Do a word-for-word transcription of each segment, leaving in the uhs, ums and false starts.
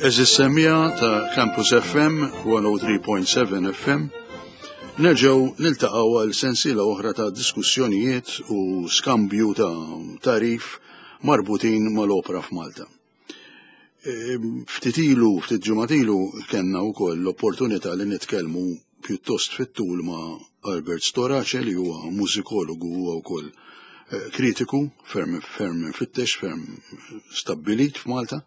Għeżież semmiegħa ta' Campus F M mija u tlieta punt seba' F M, nerġgħu niltaqgħu għal sensiela oħra ta' diskussjonijiet u skambju ta' tagħrif marbutin mal-opra f'Malta. E, Ftit ilu, ftit ġimgħat ilu, kellna wkoll l-opportunità li nitkellmu pjuttost fit-tul ma' Albert Storace, li huwa mużikologu, huwa wkoll eh, kritiku ferm ferm fittex, ferm stabbilit f'Malta.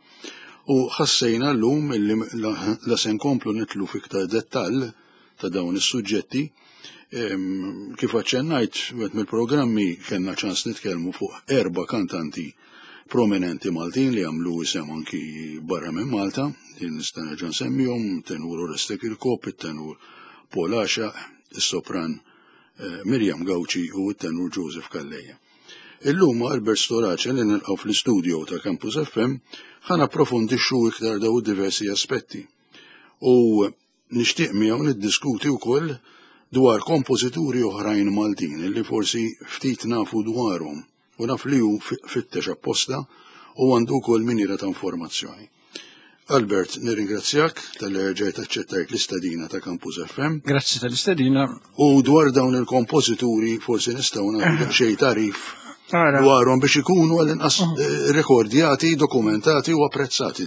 U ħassejna llum illi la, la se nkomplu nidħlu fiktar dettall ta' dawn is-suġġetti. Em, Kif aċċennajt, wieħed mill-programmi kellna ċans nitkellmu fuq erba' kantanti prominenti Maltin li għamlu isem anki barra minn Malta, li nista' nerġa' nsemmihom: tenur Oreste Kirkop, it-tenur Paul Għaxaq, is-sopran eh, Miriam Gauci u t-tenur Joseph Calleja. Illum ma' Albert Storace, li nilqgħu fl-istudio ta' Campus F M, ħa napprofondixxu iktar daw diversi aspetti. U nixtieq miegħu niddiskuti wkoll dwar kompożituri oħrajn Maltin li forsi ftit nafu dwarhom, u naf li hu fittex apposta u għandu wkoll miniera ta' informazzjoni. Albert, nirringrazzjak talli rġajt aċċettajt l-istedina ta' Campus F M. Grazzi tal-istedina. U dwar dawn il-kompożituri forsi nistgħu nagħtu xejn tagħrif Ara, dwarhom biex ikunu għall-inqas eh, rekordjati, dokumentati u apprezzati,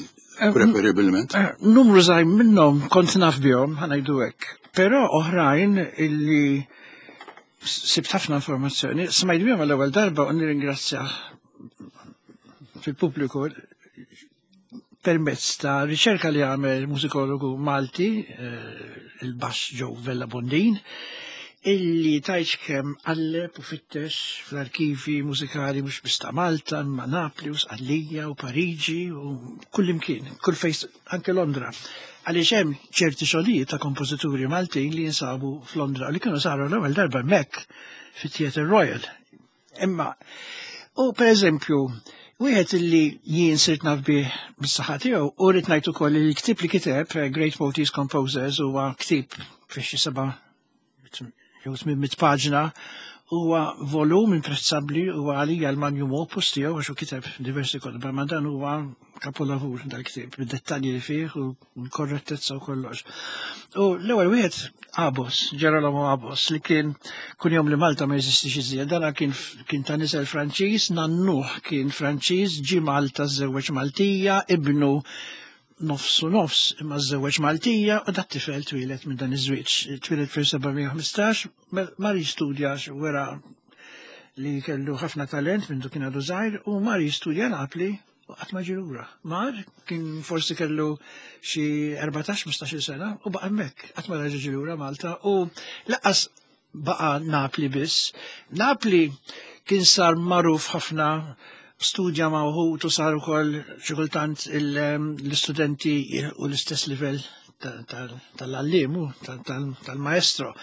preferibilment. eh, numru żgħir minnhom kont naf bihom, ħa ngħidu hekk. Però oħrajn illi sibt ħafna informazzjoni, smajt bihom għall-ewwel darba u nirringrazzja fil-pubbliku permezz ta' riċerka li għamel mużikologu Malti, eh, il-bass Joe Vella Bondin, illi tajċ kemm qalleb u fittex fl-arkivi mużikali mhux biss ta' Malta, ma' Napli u Sqallija u Pariġi u kull imkien, kull fejn, anke Londra. Għaliex hemm ċerti xogħlijiet ta' kompożituri Maltin li jinsabu f'Londra li kienu saru l-ewwel darba hemmhekk fit-Theatre Royal. Imma, u per eżempju, wieħed illi jien sirt naf bih bis-saħħa tiegħu, u rrid ngħid ukoll li l-ktieb li kiteb, eh, Great Maltese Composers, huwa ktieb fi xi seba' jew tmien mitt paġna, huwa volum imprezzabbli, huwa għalija l-magnum opus tiegħu, għax hu kiteb diversi kotba, ma dan huwa kapolavur dal-ktieb, bid-dettalji li fih u l-korrettezza u kollox. U l-ewwel wieħed Abos, Gerolamo Abos, li kien kunjom li Malta ma jeżistix iżjed. Dana kien kien ta' nisel Franċiż, nannuh kien Franċiż, ġi Malta, żewweġ Maltija, ibnu nofsu nofs imma żewweġ Maltija, u dat tifel twieled minn dan iż-żwieġ. Twieled fil-seba' mija u ħmistax, mar jistudja, wera li kellu ħafna talent minn kien għadu żgħir, u mar jistudja Napli u qatt ma ġie lura. Mar kien forsi kellu xi erbatax ħmistax-il sena u baqa' hemmhekk, qatt ma reġa' ġie lura Malta, u lanqas baqa' Napli biss. Napli kien sar magħruf ħafna, studja ma' uħud u sar ukoll xi kultant l-istudenti u l-istess livell tal-għalliem, tal-maestro.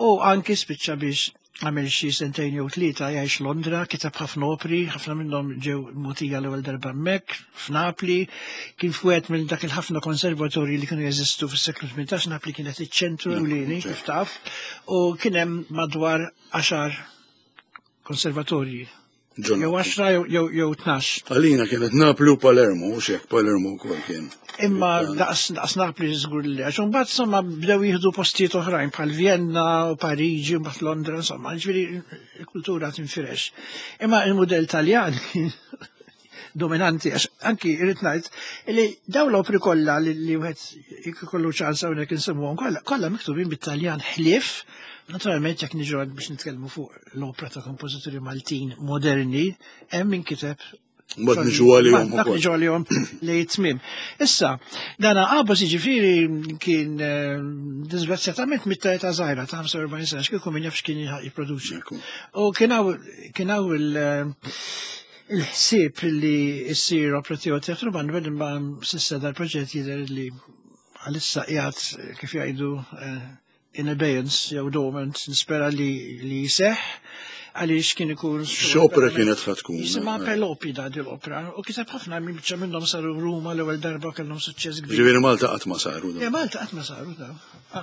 U anki spiċċa biex għamel xi sentejn jew tlieta jgħix Londra, kiteb ħafna opri, ħafna minnhom ġew mogħtija l-ewwel darba hemmhekk f'Napli, kien f'wieħed minn dak il-ħafna konservatorji li kienu jeżistu fis-seklu tmintax. Napli kienet iċ-ċentru ewlieni, kif taf, u kien hemm madwar għaxar konservatorji. Jew għaxra jew jew tnax. Għalina kienet Napli u Palermo, u xek Palermo wkoll kien. Imma daqs daqs Napli żgur li, għax imbagħad insomma bdew jieħdu postijiet oħrajn bħal Vienna u Pariġi u mbagħad Londra, insomma, ġifieri il-kultura tinfirex. Imma il-mudell Taljan kien dominanti, għax anki irrid ngħid li dawn l-opri kollha li li wieħed ikollu ċans hawnhekk insemmuhom kollha, kollha miktubin bit-Taljan, ħlief naturalment jekk niġu biex nitkellmu fuq l-opra ta' kompożituri Maltin moderni, hemm min kiteb. Mbagħad niġu għalihom Dak ukoll. niġu għalihom li tmiem. Issa, dana Abos jiġifieri kien eh, disgrazzjatament miet ta' żgħira, ta' ħamsa u erbgħin sena, x'kieku min jaf x'kien jipproduċi. Ekku. U kien hawn kien hawn il- il-ħsieb li issir opra tiegħu teatru band, imma s'issa dal-proġett jidher li għalissa qiegħed, kif jgħidu, eh, in abeyance jew dormant. Nispera li li jseħħ għaliex kien ikun X'opera kienet ħa tkun? Jisimha Pelopida di l-opera, u kiteb ħafna, minn biċċa minnhom saru Ruma l-ewwel darba, kellhom suċċess kbir. Ġifieri Malta qatt ma saru Ja, dawn. Malta qatt ma saru daw.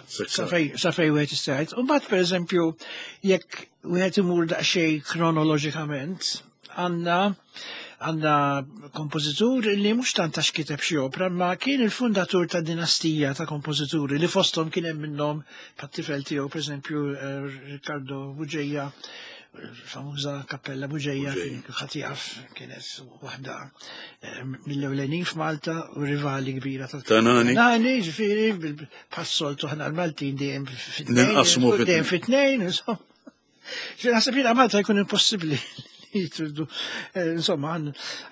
Sekka. Sa fej sa fej wieħed jista' jgħid. U mbagħad, pereżempju, jekk wieħed imur daqsxejn kronoloġikament, għandna Għandna kompożitur li mhux tant għax kiteb xi opra, ma kien il-fundatur ta' dinastija ta' kompożituri li fosthom kien hemm minnhom pat-tifel tiegħu, pereżempju eh, Riccardo Bugeja, famuża Kappella Bugeja, Bugeja. Ħadd jaf kienet waħda eh, mill-ewlenin f'Malta u rivali kbira ta' Ta' Nani. Nani, ġifieri, bil-passoltu ħana l-Maltin dejjem fit-tnejn. Ninqasmu fit-tnejn. Dejjem fit-tnejn, insomma. Ġifieri naħseb jiena Malta jkun impossibbli li jitridu, eh, insomma,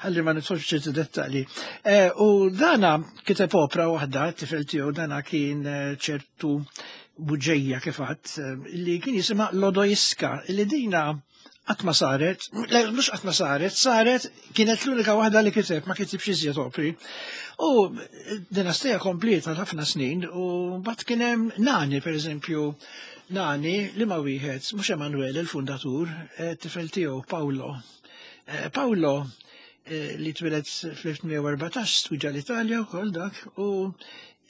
ħalli ma nidħolx ċerti dettalji. Eh, U dana kiteb opra waħda, tifel tiegħu dana kien eh, ċertu Bugeja kif għedt, li kien jisimha Lodoiska, li dina qatt ma saret, le, mhux qatt ma saret, saret kienet l-unika waħda li kiteb, ma kitibx iżjed opri. U dinastija kompleta ħafna snin u mbagħad kien hemm Nani, per eżempju, Nani li ma wieħed, mhux Emanuele il-fundatur, eh, tifel tiegħu Paolo. Eh, Paolo eh, li twieled fl-elf tmien mija u erbatax studja l-Italja u koll dak u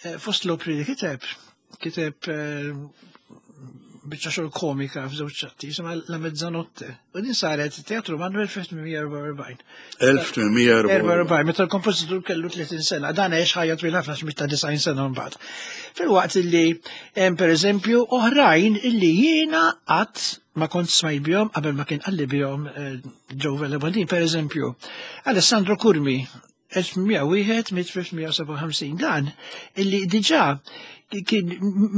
eh, fost l-opri li kiteb, kiteb eh, biċċa xogħol komika f'żewġ atti, jisimha La Mezzanotte. U din saret Teatru Manuel fl-elf tmien mija u erbgħa u erbgħin. elf tmien mija u erbgħa u erbgħin. Meta l-kompożitur kellu tletin sena, dan għex ħajja twil ħafna x'miet ta' disgħin sena mbagħad. Filwaqt illi hemm pereżempju oħrajn illi jiena qatt ma kont smajt bihom qabel ma kien qalli bihom eh, Joe Vella Bondin, pereżempju, Alessandro Curmi, elf tmien mija u wieħed mit-elf tmien mija u sebgħa u ħamsin, dan illi diġà kien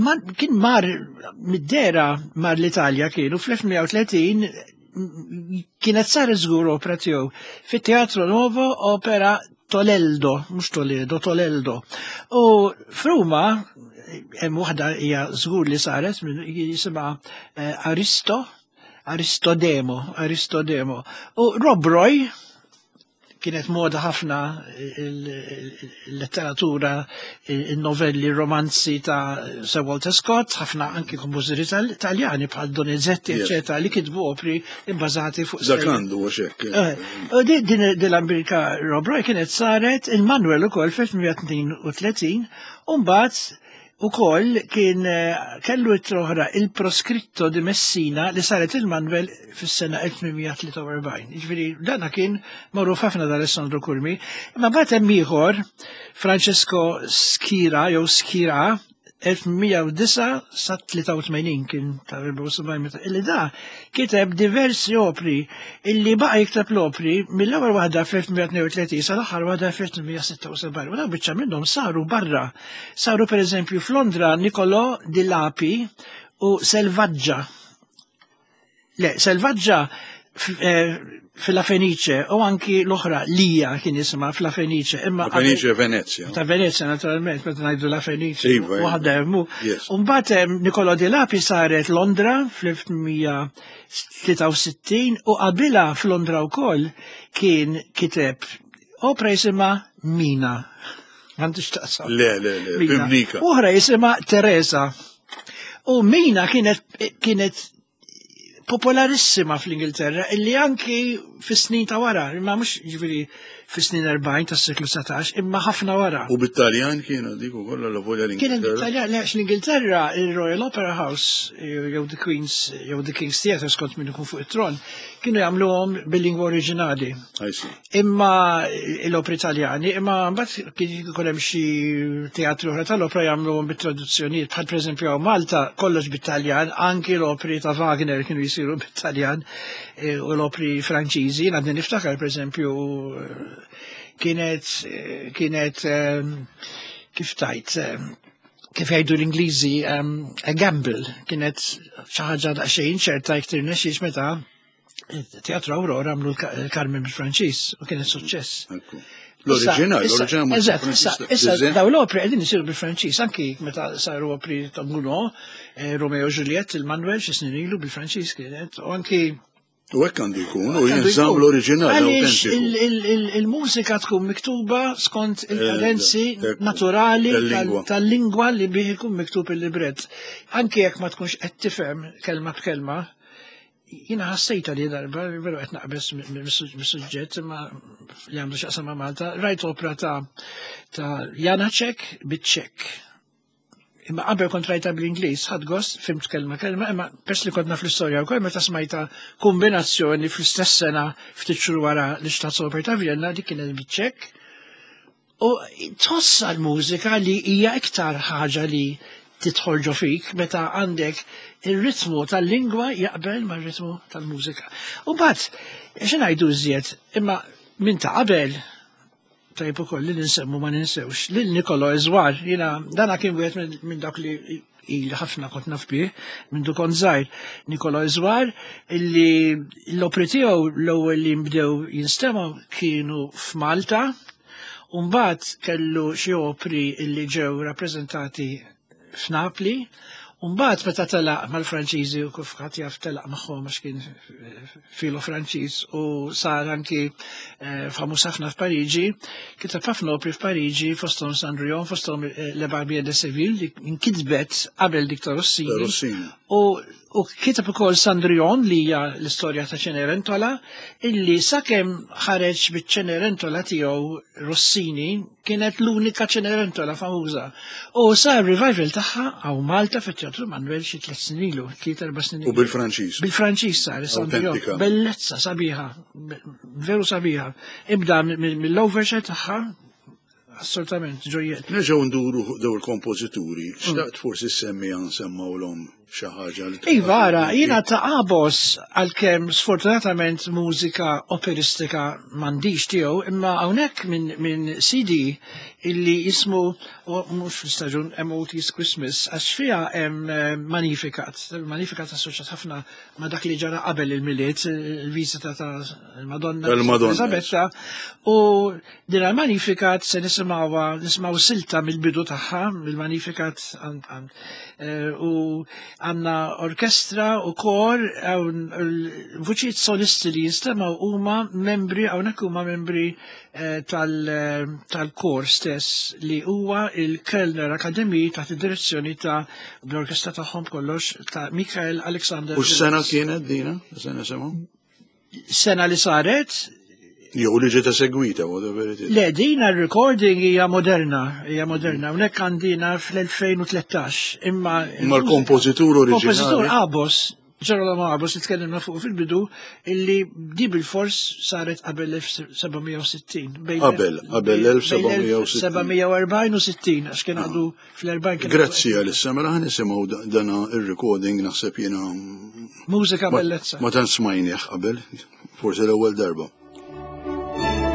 ma- kien mar mid-dera mar l-Italja kienu fl-elf tmien mija u tletin kienet sar żgur opera tiegħu fit-Teatro Nuovo, opera Toleldo, mhux Toledo, Toleldo. U f'Ruma hemm waħda hija żgur li saret minn jisimha eh, Aristo, Aristodemo, Aristodemo. U Rob Roy kienet moda ħafna il-letteratura, il-novelli, romanzi ta' Sir Walter Scott, ħafna anki kompożituri Taljani bħal Donizetti, Yes. eccetera, li kitbu opri imbażati fuq Dak stejjer. għandu għax hekk. Eh, U din din din l-Amerika Rob Roy kienet saret il-Manuel ukoll fl-elf tmien mija u tnejn u tletin u mbagħad ukoll kien eh, kellu oħra Il Proscritto di Messina li saret il-Manuel fis-sena elf tmien mija u tlieta u erbgħin. Jiġifieri dana kien magħruf ħafna da Alessandro Curmi. Imma mbagħad hemm ieħor Francesco Schira jew Schira elf tmien mija u disgħa sa tlieta u tmenin, kien ta' erbgħa u sebgħin meta illi da kiteb diversi opri illi baqa' jikteb l-opri mill-ewwel waħda fl-elf tmien mija u tnejn u tletin sal-aħħar waħda fl-elf tmien mija u sitta u sebgħin. U dawn biċċa minnhom saru barra. Saru pereżempju f'Londra Niccolò di Lapi u Selvaggia. Le, Selvaggia f- eh, fil-La Fenice u anki l-oħra Lija kien jisimha f'La Fenice. Imma La Fenice Venezia. Ta' Venezia naturalment, meta ngħidu La Fenice, Iva, iva. waħda hemm. Yes. U mbagħad hemm Niccolò di Lapi saret Londra fl-elf tmien mija u tlieta u sittin u qabilha f'Londra wkoll kien kiteb opera jisimha Mina. M'għandix taqsam. Le, le, le, Mina. Pimnika. Oħra jisimha Teresa. U Mina kienet kienet popolarissima fl-Ingilterra illi anki fis-snin ta' wara, imma mhux ġifieri fis-snin erbgħin tas-seklu dsatax, imma ħafna wara. U bit-Taljan kienu dik ukoll la volja Kienet l-Ingilterra. bit-Taljan, għax l-Ingilterra, il-Royal Opera House, jew the Queen's, jew the King's Theatre skont min ikun fuq it-tron, kienu jagħmluhom bil-lingwa oriġinali. I see. Imma l-opri Italjani, imma mbagħad kien ikun hemm xi teatri oħra tal-opra jagħmluhom bit-traduzzjonijiet, bħal pereżempju hawn Malta kollox bit-Taljan, anki l-opri ta' Wagner kienu jisiru bit-Taljan eh, u l-opri Franċiżi, għadni niftakar pereżempju eh, kienet eh, kienet eh, kif tajt eh, kif jgħidu l-Ingliżi um, a gamble, kienet xi ħaġa daqsxejn ċerta jekk tirnexxix meta Teatru Aurora għamlu l-Carmen bil-Franċiż u kienet suċċess. Ekku. L-oriġinal, Issa- l-oriġinal mhux Eżatt, issa, bil-Franċiż. issa daw l-opri qegħdin isiru bil-Franċiż, anki meta saru opri ta' Gounod, eh, Romeo u Juliet, il-Manuel xi snin ilu bil-Franċiż kienet, u anki U hekk għandu jkun, u għandu jinżamm jkun. l-oriġinal Għaliex autentiku. il- il- il- il-mużika tkun miktuba skont il-kadenzi Eh, ekku. naturali Tal-lingwa. tal- tal-lingwa li bih ikun miktub il-libret. Anki jekk ma tkunx qed tifhem kelma b'kelma, jiena ħassejta li darba, veru qed naqbeż mis-suġġett imma li għandu x'jaqsam ma' Malta, rajt opera ta' ta' Janacek bit-Ċek. Imma qabel kont rajta bl-Ingliż, ħadt gost, fhimt kelma kelma, imma pers li kont naf l-istorja wkoll meta smajta kombinazzjoni fl-istess sena ftit xhur wara l-Staatsoper ta' Vienna, dik kienet biċċek. U tħossa l-mużika li hija iktar ħaġa li tidħol ġo fik meta għandek il-ritmu tal-lingwa jaqbel mar-ritmu tal-mużika. U mbagħad, xi ngħidu iżjed, imma minn ta' qabel tajb ukoll li ninsemmu ma ninsewx lil Nicolo Ezwar, jiena dana kien wieħed minn min dak li il ħafna kont naf bih minn du kont żgħir. Nicolo Ezwar illi l-opri tiegħu l-ewwel li nbdew jinstemgħu kienu f'Malta, u mbagħad kellu xi opri illi ġew rappreżentati f'Napli, u mbagħad meta telaq mal-Franċiżi u kif ħadd jaf telaq magħhom għax kien filo Franċiż u sar anki eh, famuż ħafna f'Pariġi, kiteb ħafna opri f'Pariġi fosthom Cendrillon, fosthom eh, Le Barbier de Seville li nkitbet qabel dik ta' Rossini. Rossini. U, u kiteb ukoll Cendrillon li hija l-istorja ta' Cenerentola, illi sakemm ħareġ biċ-Cenerentola tiegħu Rossini kienet l-unika Cenerentola famuża. U sar revival tagħha hawn Malta fit-Teatru Manuel xi tliet snin ilu, tliet erba' snin U ilu. bil-Franċiż. Bil-Franċiż sar, Cendrillon. Autentika. Bellezza sabiħa, be- veru sabiħa. Ibda mill-overture tagħha, assolutament, ġojjel. Nerġgħu nduru fuq daw il-kompożituri, xtaqt forsi semmi għan semmawlhom xi ħaġa li Iva, ara, jiena ta' Abos, għalkemm sfortunatament mużika operistika m'għandix tiegħu, imma hawnhekk minn min C D illi jismu, u mhux fl-istaġun, M O T's Christmas, għax fiha hemm eh, Magnificat. Magnificat assoċjat ħafna ma' dak li ġara qabel il-Milied, il-viżita ta' il-Madonna Tal-Madonna. Elisabetta, u din il-Magnificat se nisimgħuha, nisimgħu silta mill-bidu tagħha, mill-Magnificat għan- għan- eh, u għandna orkestra u kor, hawn l-vuċijiet solisti li jinstemgħu huma membri, hawnhekk huma membri eh, tal- eh, tal-kor stess li huwa il-Kölner Akademie taħt id-direzzjoni ta' bl-orkestra tagħhom kollox ta' Michael Alexander. U x'sena kienet dina? Se nisimgħu? Sena li saret? Jew li ġiet esegwita, whatever it is. Le, dina recording hija moderna, hija moderna. Hawnhekk għandina fl-elfejn u tlettax. Imma Imma l-kompożitur Kompożitur oriġinali. Abos, Gerolamo Abos, li tkellimna fuq fil-bidu, illi di bil-fors saret qabel elf seba' mija u sittin. Bejn- Qabel, qabel bejn elf seba' mija u sittin. elf seba' mija u erbgħin u sittin, għax kien għadu fl-erbgħin. Kien Grazzi għal mela ħa nisimgħu da- dana il-recording naħseb jiena Mużika ma- bellezza. ma tant smajnieh qabel, forsi l-ewwel darba. Thank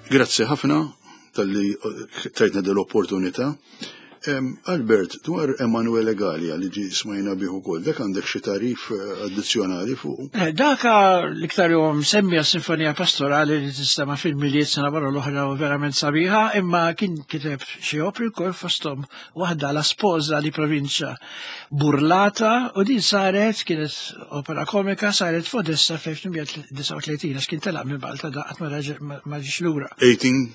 Grazzi ħafna talli tajtna dell-opportunità. Albert, dwar Emanuele Gallia li ġi smajna bih ukoll, dak għandek xi tarif addizzjonali fuq? Daka l-iktar huwa msemmi għas-Sinfonija Pastorali li tistema' fil-Milied sena barra l-oħra u verament sabiħa, imma kien kiteb xi opri wkoll fosthom waħda La Sposa di Provincia Burlata, u din saret, kienet opera komika, saret f'Odessa fl-elf tmien mija disgħa u tletin, għax kien telaq minn Malta da qatt ma ġiex lura. eighteen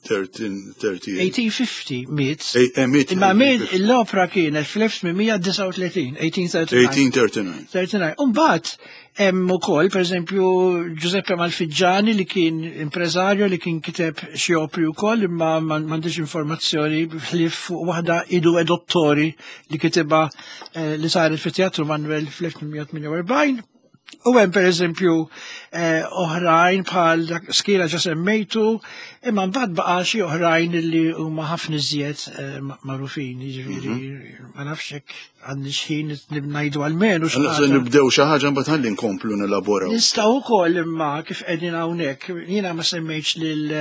thirty-eight. eighteen fifty miet. Eh, miet Imma miet eighteen fifty. l-opera kienet fl-elf tmien mija disgħa u tletin, eighteen thirty-nine. eighteen thirty-nine. thirty-nine. Umbagħad hemm ukoll, pereżempju, Giuseppe Malfiggiani li kien impreżarju li kien kiteb xi opri wkoll, imma m'għandix informazzjoni ħlief fuq waħda Idu e Dottori li kitibha, eh, li saret fit-Teatru Manuel fl-elf tmien mija tmien u erbgħin. U hemm pereżempju, eh, oħrajn bħal dak Skira ġa semmejtu, imma mbagħad baqa' xi oħrajn li huma ħafna iżjed, eh, ma-, magħrufin, jiġifieri, Mhm. ma nafx hekk għandix ħin ngħidu għalmenu xi Allora, ħaġa. nibdew xi ħaġa mbagħad ħalli nkomplu nelaboraw. Nistgħu wkoll imma kif qegħdin hawnhekk, jiena ma semmejtx lil,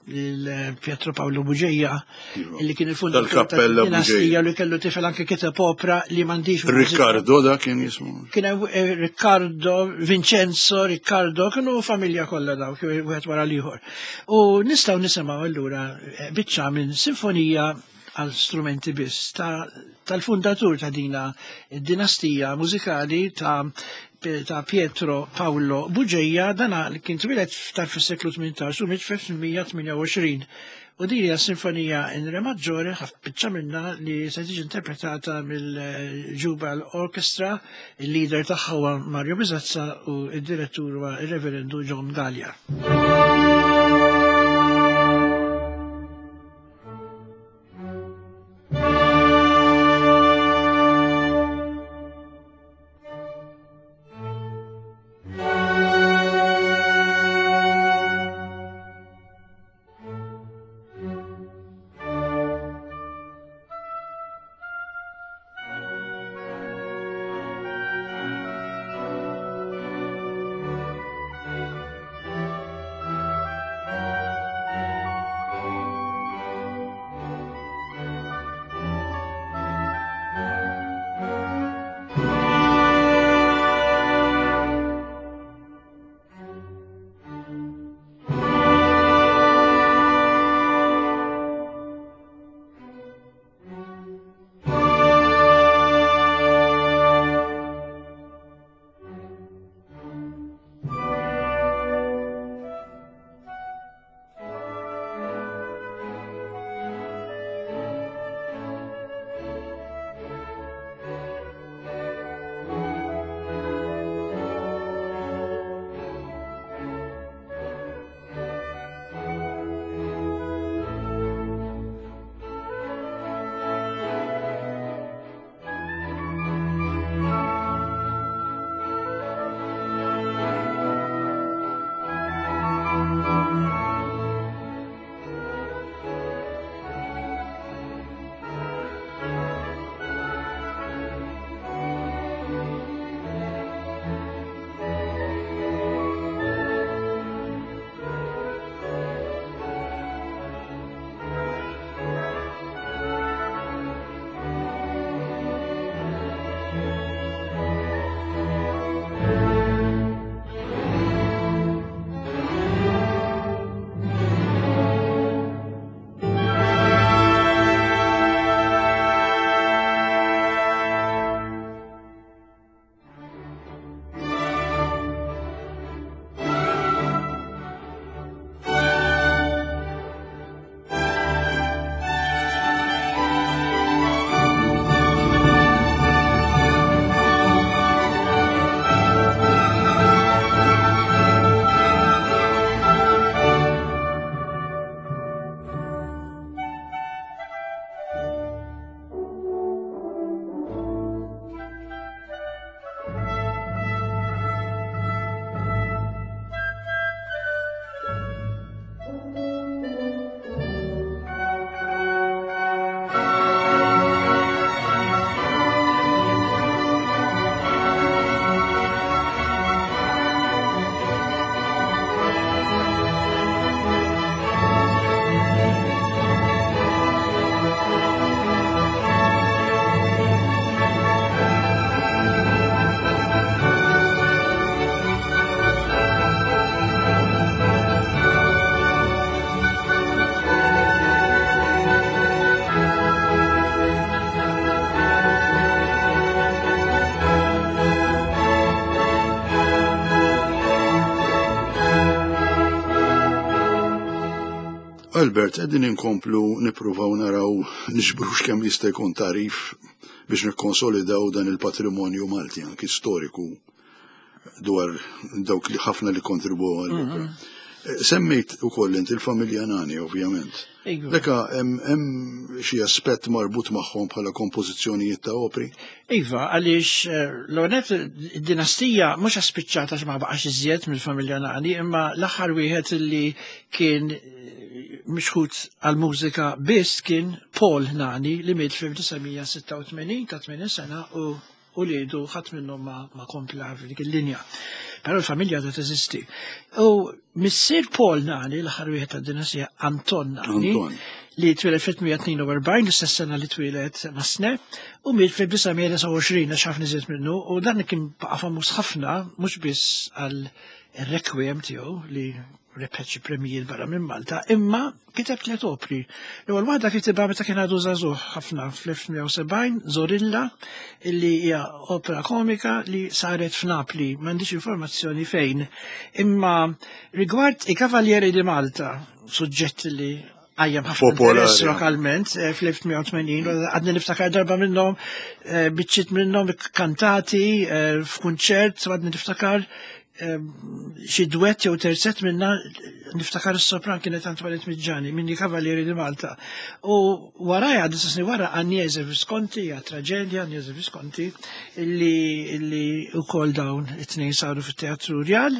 lil Pietro Paolo Bugeja, Iva. li kien il-fundatur Tal-Kappella tad-dinastija Bugeja. li kellu tifel anke kiteb opra li m'għandix mużika. Riccardo da kien jismu. Kien hemm, eh, Riccardo, Vincenzo, Riccardo, kienu familja kollha dawk, wieħed wara l-ieħor. U nistgħu nisimgħu allura, eh, biċċa minn sinfonija għal strumenti biss ta', tal-fundatur ta' dina id-dinastija mużikali ta', ta' Pietro Paolo Bugeja, dana li kien twieled ta' fis-seklu tmintax u miet f'elf tmien mija tmien u għoxrin. U din hija sinfonija in re maggiore, ħaf biċċa minnha li se tiġi interpretata mill-Jubal Orchestra, il-leader tagħha huwa Mario Bisazza u d-direttur huwa ir-Reverendu John Gallia. Albert, qegħdin inkomplu nippruvaw naraw niġbrux kemm jista' jkun tagħrif biex nikkonsolidaw dan il-patrimonju Malti anki storiku dwar dawk li ħafna li kontribu għall-opra. Semmejt ukoll inti il-familja Nani, ovvjament. Iva. Leka, hemm xi aspett marbut magħhom bħala kompożizzjonijiet ta' opri? Iva, għaliex eh, l-onet id-dinastija mhux spiċċata ma baqax iżjed mill-familja Nani, imma l-aħħar wieħed li kien eh, mixħut għal-mużika biss kien Paul Nani li miet fl-elf disa' mija sitta u tmenin ta' tmenin sena u u li jdu ħadd minnhom ma, ma kompla f'dik il-linja. Però l-familja ta' teżisti. U missier Paul Nani, l-aħħar wieħed tad-dinastija, Anton Nani, Anton. li twieled fl-elf tliet mija tnejn u erbgħin, l-istess sena li twieled Massenet, u miet fl-elf disa' mija disgħa u għoxrin, għax ħafna iżjed minnu, u dan kien baqa' famuż ħafna, mhux biss għal requiem tiegħu li rebħet xi premijiet barra minn Malta, imma kiteb tliet opri. L-ewwel waħda kitibha meta kien għadu żagħżugħ ħafna fl-elf tliet mija u sebgħin, Zorilla, illi hija opera komika li saret f'Napli, m'għandix informazzjoni fejn. Imma rigward i Cavalieri di Malta, suġġett li għajjem ħafna Popolari. interess lokalment eh, fl-elf tliet mija u tmenin, għadni niftakar darba minnhom, eh, biċċiet minnhom kantati eh, f'kunċert, għadni niftakar eh, xi duett jew terzett minna, niftakar is-sopran kienet Antoinette Miġġani minn Cavalieri di Malta. U warajha, disa snin wara, Agnese Visconti, hija traġedja Agnese Visconti, illi illi ukoll dawn it-tnejn saru fit-Teatru Rjal.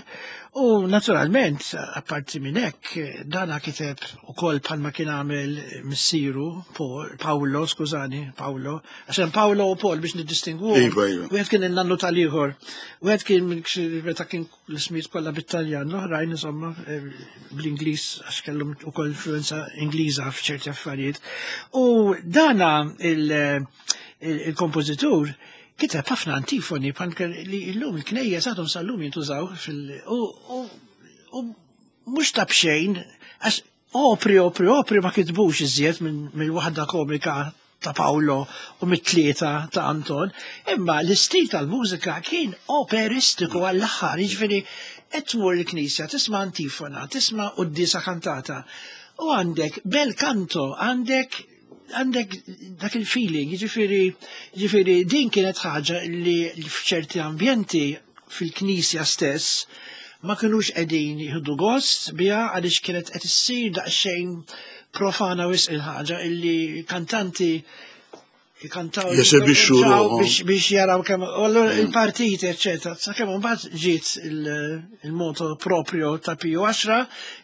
U naturalment, apparti minn hekk, dana kiteb ukoll bħalma kien għamel missieru, Paul- Paolo, skużani, Paolo, għax hemm Paolo u Paul biex niddistingwu. Iva, iva. Wieħed kien il-nannu tal-ieħor, wieħed kien minn- meta kien l-ismijiet kollha bit-Taljan, l-oħrajn insomma eh, bl-Ingliż għax kellhom ukoll influenza Ingliża f'ċerti affarijiet. U dana il- il- il-kompożitur kiteb ħafna antifoni bħal li llum il-knejjes għadhom sal-lum jintużaw fil u u u mhux ta' bxejn għax opri, opri, opri ma kitbux iżjed minn mill-waħda komika ta' Paolo u mit-tlieta ta' Anton, imma l-istil tal-mużika kien operistiku għall-aħħar, jiġifieri qed tmur il-knisja, tisma' antifona, tisma' quddiesa kantata, u għandek bel canto, għandek għandek dak il-feeling, jiġifieri jiġifieri din kienet ħaġa li f'ċerti ambjenti fil-knisja stess ma kinux qegħdin jieħdu gost biha għaliex kienet qed issir daqsxejn profana wisq il-ħaġa illi kantanti jkantaw Jesebixxu ruħhom. biex biex jaraw kemm u allura il-partiti eċċetera. Sakemm imbagħad ġiet il- il-motu proprio ta' Piju għaxra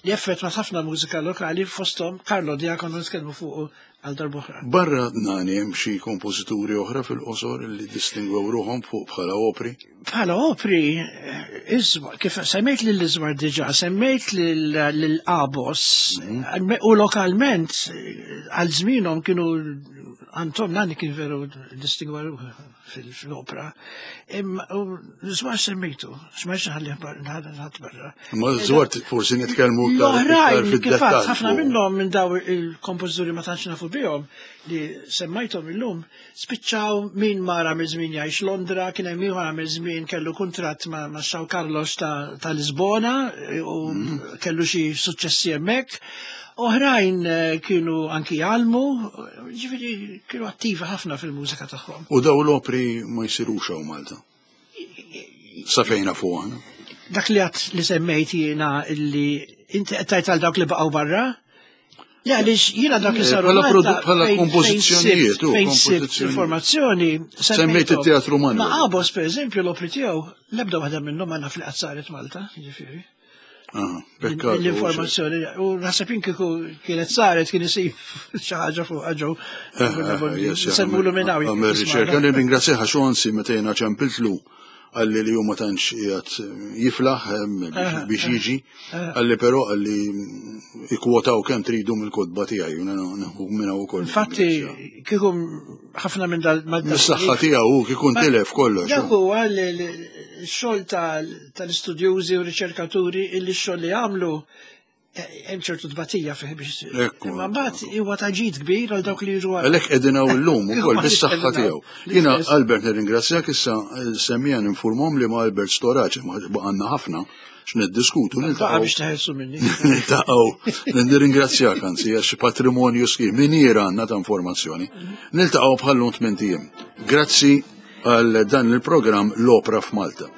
li effettwat ħafna mużika lokali, fosthom Carlo Diacono, nitkellmu fuq għal darb'oħra. Barra Nani hemm xi kompożituri oħra fil-qosor li distingwew ruħhom fuq bħala opri? Bħala opri, eh, Iżwar, kif semmejt lil Iżwar diġà, semmejt lil Abos, u lokalment eh, għal żmienhom kienu Anton Nani kien veru distingwa ruħu fil- fil-opera. Imma u Iżwar semmejtu, x'ma ħalli ħadd barra. Ma Żwar forsi nitkellmu iktar iktar L-oħrajn, kif għedt, fid-dettall. ħafna minnhom minn daw il-kompożituri ma tantx nafu bihom li semmajthom illum, spiċċaw min mara mill żmien jgħix Londra, kien hemm ieħor għamel żmien kellu kuntratt ma' ma' São Carlos ta' ta' Lisbona eh, u kellu xi suċċessi hemmhekk. Oħrajn eh, kienu anki jgħallmu, ġifieri kienu attivi ħafna fil-mużika tagħhom. U daw l-opri ma jsirux hawn Malta. Sa fejna fuq aħna. Dak li għat li semmejt jiena illi inti qed tgħid għal dawk li baqgħu barra? Le, għaliex jiena dak li Eh, saru bħala Malta, produ- bħala fejn- fejn kompożizzjonijiet, sibt- u, fejn sibt kompożizzjonijiet. informazzjoni. Semmejt semmejthom. it-Teatru Manuel. Ma Abos, per eżempju, l-opri tiegħu, l-ebda waħda minnhom ma naf li qatt saret Malta, jiġifieri. Ah, pekkato. L-informazzjoni, u naħseb jien kieku kienet saret kien isib xi ħaġa fuq ġew. Semmulu minn hawn. Għamel riċerka, nirringrazzjah għax anzi meta jiena ċempiltlu qalli li hu ma tantx qiegħed jiflaħ em, biex- biex jiġi, qalli però qalli ikkwotaw kemm tridu mill-kotba tiegħi, u nieħu minn hawn ukoll. Infatti, kieku ħafna minn dal Mis-saħħa tiegħu hu kieku tilef kollox. Dak huwa l-xogħol tal-istudjużi u riċerkaturi illi x-xogħol li għamlu eh, hemm ċertu tbatija fih biex. Ekku. Imma mbagħad huwa ta' ġid kbir għal dawk li jiġu wara. Għalhekk qegħdin hawn illum ukoll bis-saħħa tiegħu. Jiena L-istess. Albert nirringrazzjak, issa semmija ninfurmhom li ma' Albert Storace ma baqgħanna ħafna X'niddiskutu Baqa niltaqgħu biex teħelsu minni. Niltaqgħu, nirringrazzjak anzi għax patrimonju sħiħ miniera għandna ta' informazzjoni. Niltaqgħu bħal-lum tmint ijiem. Grazzi għal dan il-programm L-Opra f'Malta.